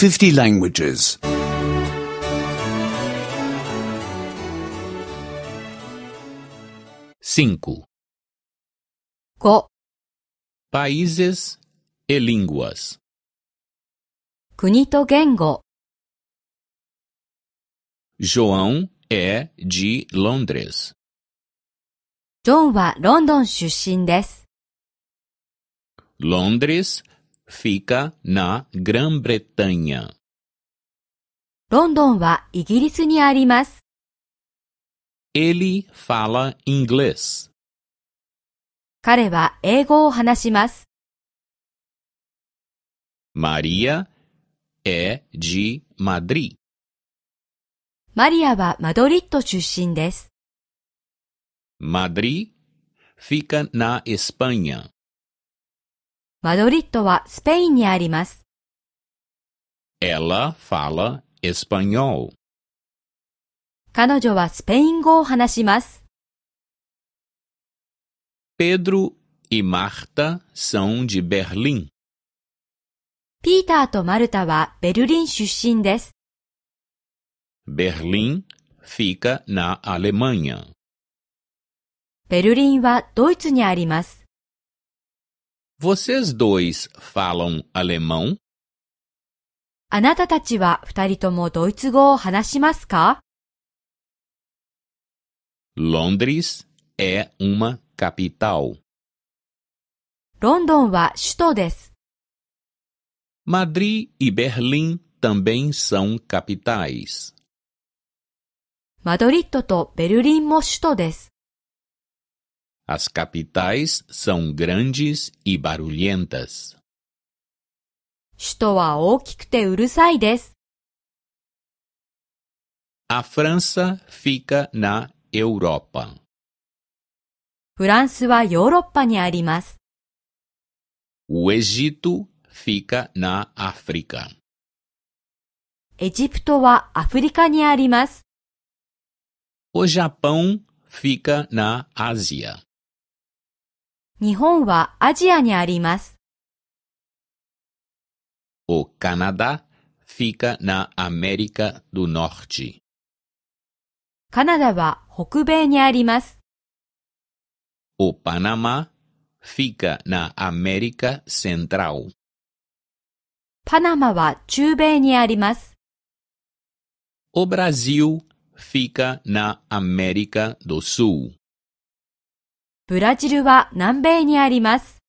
50 languages. 5. 5. Países e línguas. 国と言語。João é de Londres. ジョンはロンドン出身です。Londres fica na Grã-Bretanha. ロンドンはイギリスにあります。Ele fala inglês. 彼は英語を話します。Maria é de Madrid. マリアはマドリッド出身です。Madrid fica na Espanha. マドリッドはスペインにあります。Ela fala espanhol. 彼女はスペイン語を話します。Pedro e Marta são de Berlim. ピーターとマルタはベルリン出身です。Berlim fica na Alemanha. ベルリンはドイツにあります。Vocês dois falam alemão? あなたたちは二人ともドイツ語を話しますか？ Londres é uma capital. ロンドンは首都です。Madrid e Berlim também são capitais. マドリッドとベルリンも首都です。As capitais são grandes e barulhentas. 首都は大きくてうるさいです。A França fica na Europa. フランスはヨーロッパにあります。O Egito fica na África. エジプトはアフリカにあります。O Japão fica na Ásia. 日本はアジアにあります。O Canadá fica na América do Norte. カナダは北米にあります。O Panamá fica na América Central. パナマは中米にあります。O Brasil fica na América do Sul. ブラジルは南米にあります。